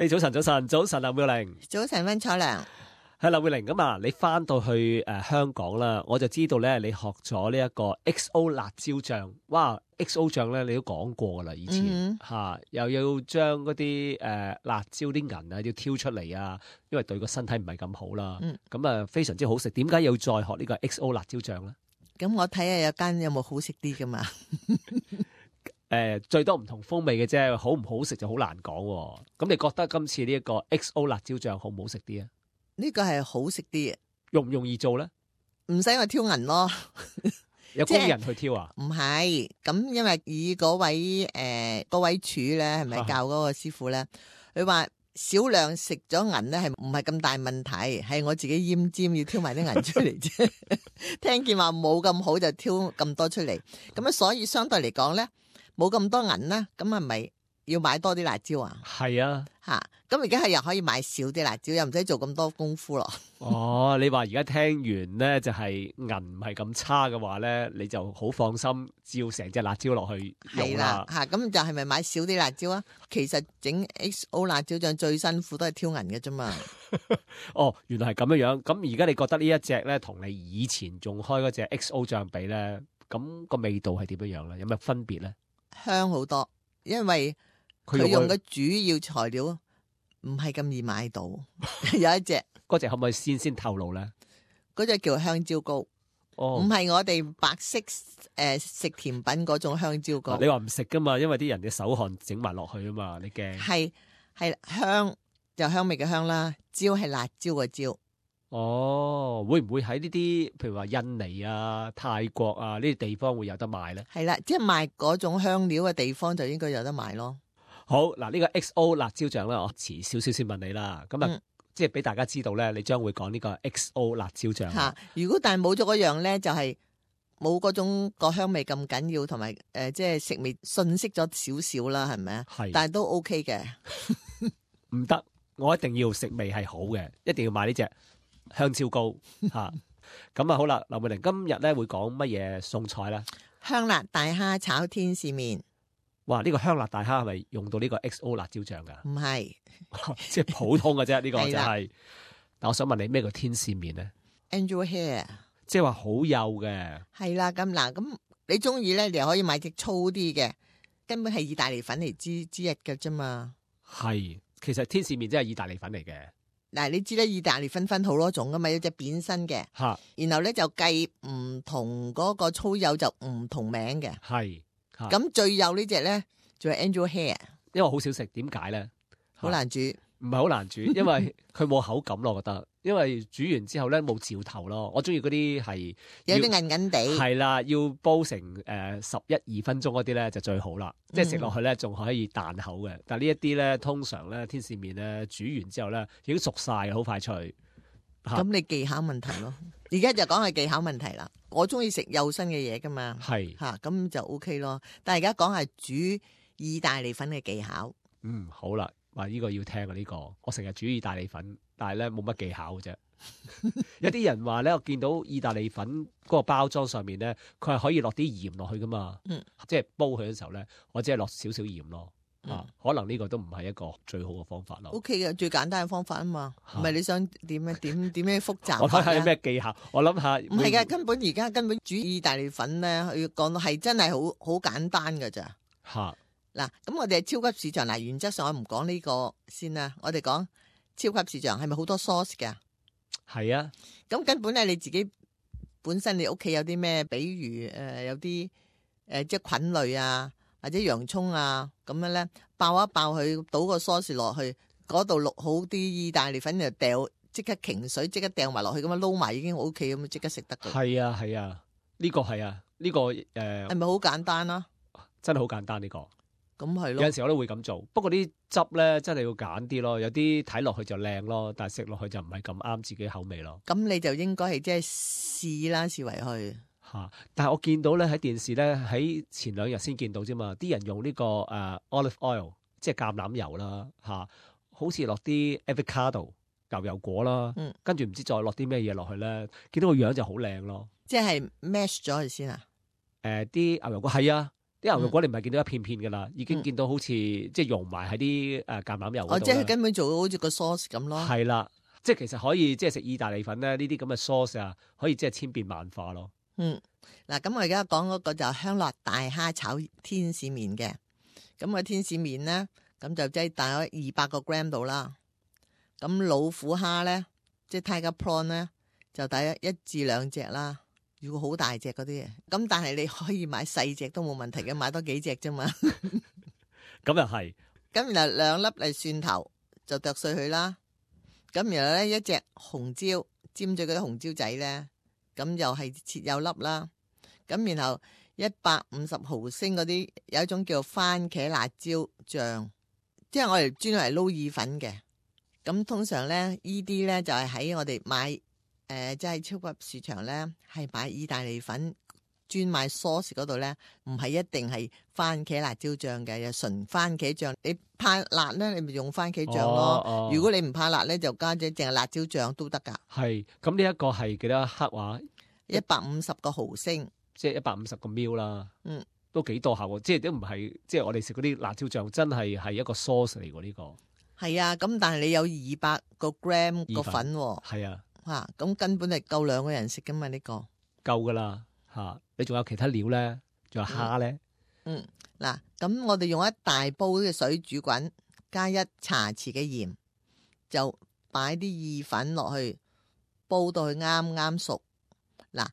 早晨，林妙玲。早晨，溫楚良。係林妙玲咁啊！你翻到去香港啦，我就知道咧，你學咗呢一個 XO 辣椒醬。哇！XO 醬咧，你都講過噶啦，以前吓，又要將嗰啲辣椒啲銀啊要挑出嚟啊，因為對個身體唔係咁好啦。咁啊，非常之好食。點解要再學呢個 XO 辣椒醬咧？咁我睇下有間有冇好食啲噶嘛？最多唔同風味嘅啫，好唔好食就好難講。咁你覺得今次呢一個 XO 辣椒醬好唔好食啲啊？呢個係好食啲嘅，容唔容易做咧？唔使我挑銀咯，有工人去挑啊？唔係，咁因為以嗰位廚咧，係咪教嗰個師傅咧？佢話少量食咗銀咧，係唔係咁大問題？係我自己奄尖要挑埋啲銀出嚟啫。聽見話冇咁好就挑咁多出嚟，咁所以相對嚟講咧，冇咁多銀啦，咁係咪要買多啲辣椒啊？係啊，吓，咁而家係又可以買少啲辣椒，又唔使做咁多功夫咯。哦，你話而家聽完咧，就係銀唔係咁差嘅話咧，你就好放心，照成隻辣椒落去用啦。吓，咁就係咪買少啲辣椒啊？其實整 XO 辣椒醬最辛苦都係挑銀嘅啫嘛。哦，原來係咁樣樣。咁而家你覺得呢一隻咧，同你以前用開嗰隻 XO 醬比咧，咁個味道係點樣樣咧？有咩分別咧？香好多，因為佢用嘅主要材料唔係咁易買到。有一隻嗰隻可唔可以先透露咧？嗰隻叫香蕉糕，唔係我哋白色食甜品嗰種香蕉糕。你話唔食噶嘛？因為啲人嘅手汗整埋落去啊嘛，你驚？係香就香味嘅香啦，椒係辣椒嘅椒。哦，會唔會喺呢啲譬如話印尼啊、泰國啊呢啲地方會有得賣咧？係啦，即係賣嗰種香料嘅地方就應該有得賣咯。好嗱，呢個 XO 辣椒醬咧，我遲少少先問你啦。咁啊，即係俾大家知道咧，你將會講呢個 XO 辣椒醬。吓，如果但係冇咗嗰樣咧，就係冇嗰種個香味咁緊要，同埋即係食味遜色咗少少啦，係咪啊？係，但係都 OK 嘅。唔得，我一定要食味係好嘅，一定要買呢隻香蕉糕吓。咁啊好啦，劉美玲今日咧會講乜嘢餸菜咧？香辣大蝦炒天使麵。哇！呢個香辣大蝦係咪用到呢個 XO 辣椒醬噶？唔係，即係普通嘅啫。呢個就係。但我想問你咩叫天使麵咧 ？Angel hair， 即係話好幼嘅。係啦，咁嗱，咁你中意咧，你又可以買隻粗啲嘅，根本係意大利粉嚟之一嘅啫嘛。係，其實天使麵真係意大利粉嚟嘅。嗱，你知咧，意大利粉分好多種噶嘛，有隻扁身嘅，然後咧就計唔同嗰個粗幼就唔同名嘅。係。咁最幼呢隻咧就係 Angel hair， 因為好少食，點解咧？好難煮，唔係好難煮，因為佢冇口感咯，我覺得。因為煮完之後咧冇嚼頭咯，我中意嗰啲係有啲韌韌地。係啦，要煲成11-2分鐘嗰啲咧就最好啦，即係食落去咧仲可以彈口嘅。但係呢一啲咧通常咧天使麵咧煮完之後咧已經熟晒嘅，好快脆。咁你技巧問題咯，而家就講係技巧問題啦。我中意食幼身嘅嘢噶嘛，係吓咁就 OK 咯。但係而家講係煮意大利粉嘅技巧。好啦，話呢個要聽啊呢個。我成日煮意大利粉，但係咧冇乜技巧嘅啫。有啲人話咧，我見到意大利粉嗰個包裝上面咧，佢係可以落啲鹽落去噶嘛，即係煲佢嘅時候咧，我只係落少少鹽咯。可能呢個都唔係一個最好嘅方法咯。OK 嘅，最簡單嘅方法啊嘛，唔係你想點樣複雜？我睇下有咩技巧，我諗下。唔係嘅，而家根本煮意大利粉咧，要講到係真係好簡單噶咋。嗱，咁我哋係超級市場，嗱，原則上我唔講呢個先啦，我哋講超級市場係咪好多 sauce 㗎？係啊。咁根本咧你自己本身你屋企有啲咩，比如有啲即係菌類啊。或者洋蔥啊咁樣咧，爆一爆佢，倒個 sauce 落去，嗰度落好啲意大利粉就掉，即刻擎水，即刻掉埋落去，咁樣撈埋已經 OK 咁，即刻食得嘅。係啊係啊，呢個係啊，呢個係咪好簡單啊？真係好簡單呢個。咁係咯。有陣時我都會咁做，不過啲汁咧真係要揀啲咯，有啲睇落去就靚咯，但係食落去就唔係咁啱自己口味咯。咁你就應該係即係試啦，試為去。但係我見到咧喺電視咧喺前2日先見到啫嘛，啲人用呢個olive oil 即係橄欖油啦好似落啲 avocado 牛油果啦，跟住唔知再落啲咩嘢落去咧，見到個樣就好靚咯。即係 mash 咗佢先啊？啲牛油果係啊，啲牛肉果你唔係見到一片片噶啦，已經見到好似即係溶埋喺啲橄欖油嗰度。即係根本做到好似個 sauce 咁咯。係啦，即係其實可以即係食意大利粉咧，呢啲咁嘅 sauce 啊，可以即係千變萬化咯。嗱，咁我而家講嗰個就香辣大蝦炒天使麵嘅。咁個天使麵咧，咁就即係大概200個 gram 度啦。咁老虎蝦咧，即係 tiger prawn 咧，就大約1至2隻啦。如果好大隻嗰啲，咁但係你可以買細隻都冇問題嘅，買多幾隻啫嘛。咁又係。咁然後2粒嚟蒜頭就剁碎佢啦。咁然後咧1隻紅椒，尖咗嗰啲紅椒仔咧，咁又係切幼粒啦。咁然後150毫升嗰啲有一種叫番茄辣椒醬，即係我哋專嚟撈意粉嘅。咁通常咧呢啲咧就係喺我哋買即係超級市場咧係買意大利粉專賣 sauce 嗰度咧，唔係一定係番茄辣椒醬嘅，有純番茄醬。你怕辣咧，你咪用番茄醬咯。如果你唔怕辣咧，就加隻淨係辣椒醬都得噶。係，咁呢一個係幾多克話？150個毫升。即係150個 ml 啦，都幾多下喎，即係都唔係，即係我哋食嗰啲辣椒醬真係一個 sauce 嚟喎呢個。係啊，咁但係你有200個 gram 個粉喎。係啊，咁根本係夠2個人食噶嘛呢個。夠噶啦嚇，你仲有其他料咧？仲有蝦咧？嗱，咁我哋用一大煲嘅水煮滾，加1茶匙嘅鹽，就擺啲意粉落去，煲到佢啱啱熟。嗱。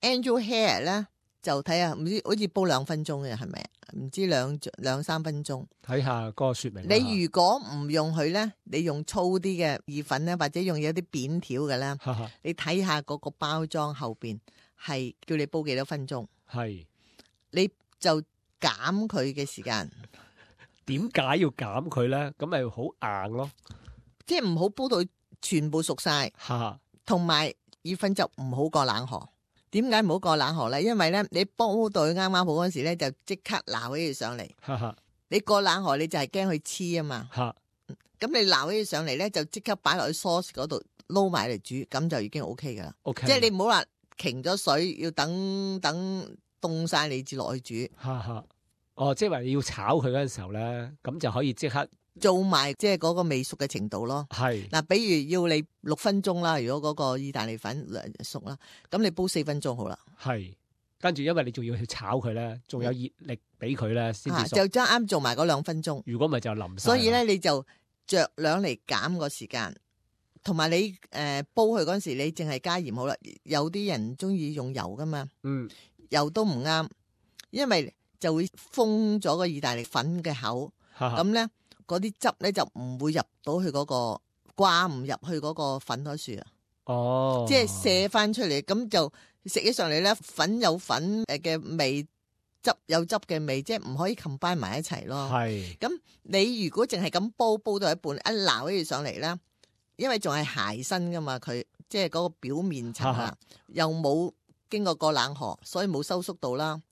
Angel hair 咧就睇下，唔知好似煲2分鐘嘅係咪？唔知兩三分鐘。睇下嗰個說明。你如果唔用佢咧，你用粗啲嘅意粉咧，或者用有啲扁條嘅咧，你睇下嗰個包裝後邊係叫你煲幾多分鐘。係，你就減佢嘅時間。點解要減佢咧？咁咪好硬咯。即係唔好煲到全部熟晒。同埋意粉就唔好過冷河。點解唔好過冷河咧？因為咧，你煲到佢啱啱好嗰時咧，就即刻撈起佢上嚟。你過冷河，你就係驚佢黐啊嘛。咁你撈起佢上嚟咧，就即刻擺落去 sauce 嗰度撈埋嚟煮，咁就已經 OK 噶啦。即係你唔好話停咗水，要等凍晒你至落去煮。即係話你要炒佢嗰陣時候咧，咁就可以即刻做埋即係嗰個未熟嘅程度咯。係嗱，比如要你6分鐘啦，如果嗰個意大利粉熟啦，咁你煲4分鐘好啦。係，跟住因為你仲要去炒佢咧，仲有熱力俾佢咧先至熟。就啱做埋嗰2分鐘。如果唔係就淋晒。所以咧，你就酌量嚟減個時間，同埋你煲佢嗰陣時，你淨係加鹽好啦。有啲人中意用油噶嘛，油都唔啱，因為就會封咗個意大利粉嘅口，咁咧。嗰啲汁咧就唔會入到去嗰個掛唔入去嗰個粉嗰樹啊，即係射翻出嚟，咁就食起上嚟咧，粉有粉嘅味，汁有汁嘅味，即係唔可以 combine 埋一齊咯。係，咁你如果淨係咁煲到一半，一撈起上嚟咧，因為仲係鞋身噶嘛，佢即係嗰個表面層啊，又冇經過冷河，所以冇收縮到啦。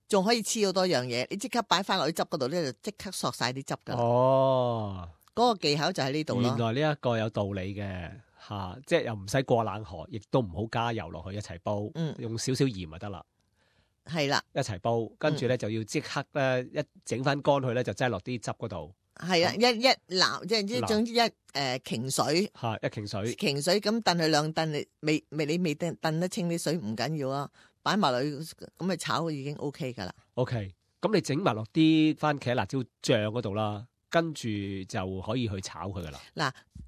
仲可以黐好多樣嘢，你即刻擺翻落去汁嗰度咧，就即刻索晒啲汁噶。嗰個技巧就喺呢度咯。原來呢一個有道理嘅吓，即係又唔使過冷河，亦都唔好加油落去一齊煲，用少少鹽就得啦。係啦，一齊煲，跟住咧就要即刻咧一整翻乾佢咧，就擠落啲汁嗰度。係啊，一撈即係總之擎水吓，一擎水咁燉佢2燉，你未燉得清啲水唔緊要啊。擺埋落去咁咪炒已經 OK 噶啦。OK，咁你整埋落啲番茄辣椒醬嗰度啦，跟住就可以去炒佢噶啦。嗱，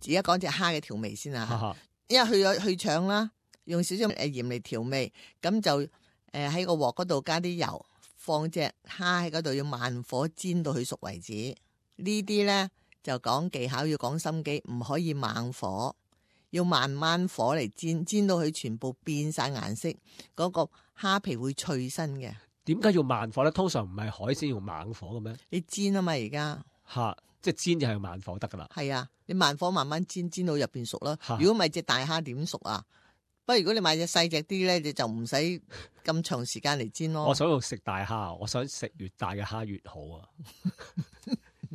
而家講隻蝦嘅調味先啊，因為去腸啦，用少少鹽嚟調味，咁就喺個鑊嗰度加啲油，放隻蝦喺嗰度，要慢火煎到佢熟為止。呢啲咧就講技巧，要講心機，唔可以猛火。要慢慢火嚟煎，煎到佢全部變晒顏色，嗰個蝦皮會脆身嘅。點解要慢火咧？通常唔係海鮮用猛火嘅咩？你煎啊嘛，而家即係煎就係慢火得噶啦。係啊，你慢火慢慢煎，煎到入邊熟啦。如果唔係隻大蝦點熟啊？不過如果你買隻細隻啲咧，你就唔使咁長時間嚟煎咯。我想要食大蝦，我想食越大嘅蝦越好啊，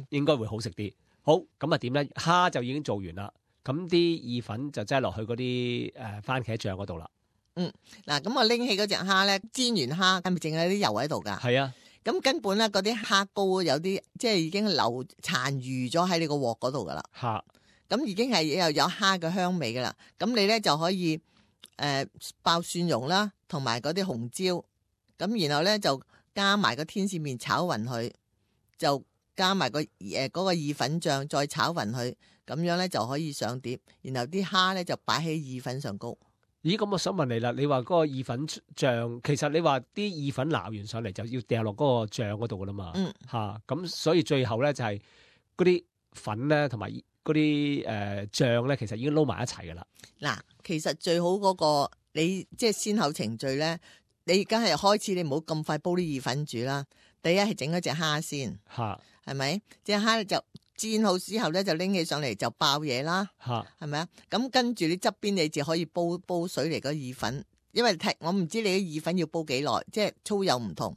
應該會好食啲。好，咁啊點咧？蝦就已經做完啦。咁啲意粉就擠落去嗰啲番茄醬嗰度啦。嗱，咁我拎起嗰隻蝦咧，煎完蝦係咪淨係啲油喺度噶？係啊。咁根本咧嗰啲蝦膏有啲即係已經留殘餘咗喺你個鑊嗰度噶啦。咁已經係又有蝦嘅香味噶啦。咁你咧就可以爆蒜蓉啦，同埋嗰啲紅椒。咁然後咧就加埋個天使麵炒勻佢，就加埋嗰個意粉醬再炒勻佢，咁樣咧就可以上碟。然後啲蝦咧就擺喺意粉上高。咦，咁我想問你啦，你話嗰個意粉醬，其實你話啲意粉撈完上嚟就要掉落嗰個醬嗰度噶啦嘛，咁所以最後咧就係嗰啲粉咧同埋嗰啲醬咧，其實已經撈埋一齊噶啦。嗱，其實最好嗰個你即係先後程序咧，你梗係開始你唔好咁快煲啲意粉煮啦。第一係整嗰隻蝦先，係咪？隻蝦就煎好之後咧，就拎起上嚟就爆嘢啦，係咪啊？咁跟住你側邊你就可以煲水嚟嗰意粉，因為我唔知你啲意粉要煲幾耐，即係粗幼唔同。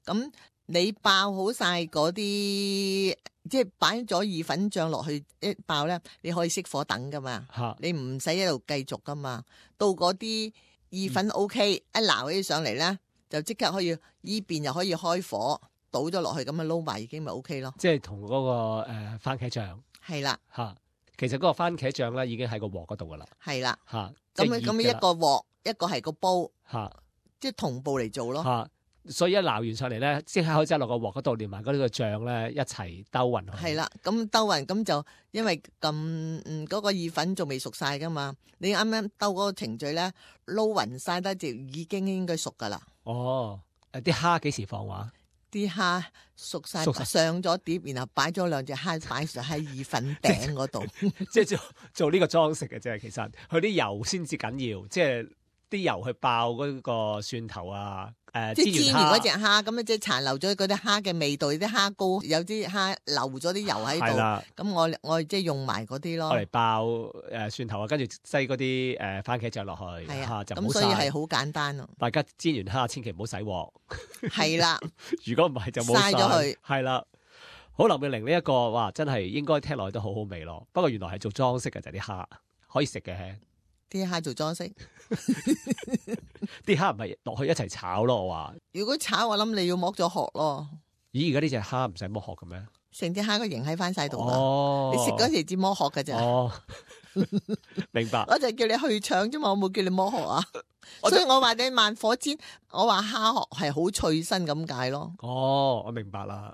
咁你爆好晒嗰啲，即係擺咗意粉醬落去一爆咧，你可以熄火等噶嘛，你唔使一路繼續噶嘛。到嗰啲意粉 OK，一撈起上嚟咧，就即刻可以依邊又可以開火。倒咗落去咁樣撈埋已經咪 OK 咯，即係同嗰個番茄醬係啦嚇，其實嗰個番茄醬咧已經喺個鑊嗰度噶啦，係啦嚇，咁一個鑊一個係個煲嚇，即係同步嚟做咯嚇，所以一撈完上嚟咧，即刻可以擠落個鑊嗰度，連埋嗰啲個醬咧一齊兜勻佢。係啦，咁兜勻咁就因為嗰個意粉仲未熟晒噶嘛，你啱啱兜嗰個程序咧撈勻晒得就已經應該熟噶啦。哦，啲蝦幾時放話？啲蝦熟晒上咗碟，然後擺咗兩隻蝦擺上喺意粉頂嗰度，即係做呢個裝飾嘅啫。其實佢啲油先至緊要，即係啲油去爆嗰個蒜頭啊。即係煎完嗰隻蝦，咁啊即係殘留咗嗰啲蝦嘅味道，啲蝦膏有啲蝦留咗啲油喺度。咁我即係用埋嗰啲咯。我嚟爆蒜頭啊，跟住擠嗰啲番茄醬落去，就咁所以係好簡單咯。大家煎完蝦千祈唔好洗鑊。係啦，如果唔係就冇嘥咗佢。係啦，好，林妙玲呢一個哇，真係應該聽落去都好好味咯。不過原來係做裝飾嘅就係啲蝦，可以食嘅。啲蝦做裝飾，啲蝦唔係落去一齊炒咯。我話如果炒，我諗你要剝咗殼咯。咦，而家呢隻蝦唔使剝殼嘅咩？成隻蝦個形喺翻晒度噶，你食嗰時至剝殼噶咋？明白。我就叫你去腸啫嘛，我冇叫你剝殼啊。所以我話你慢火煎，我話蝦殼係好脆身咁解咯。我明白啦。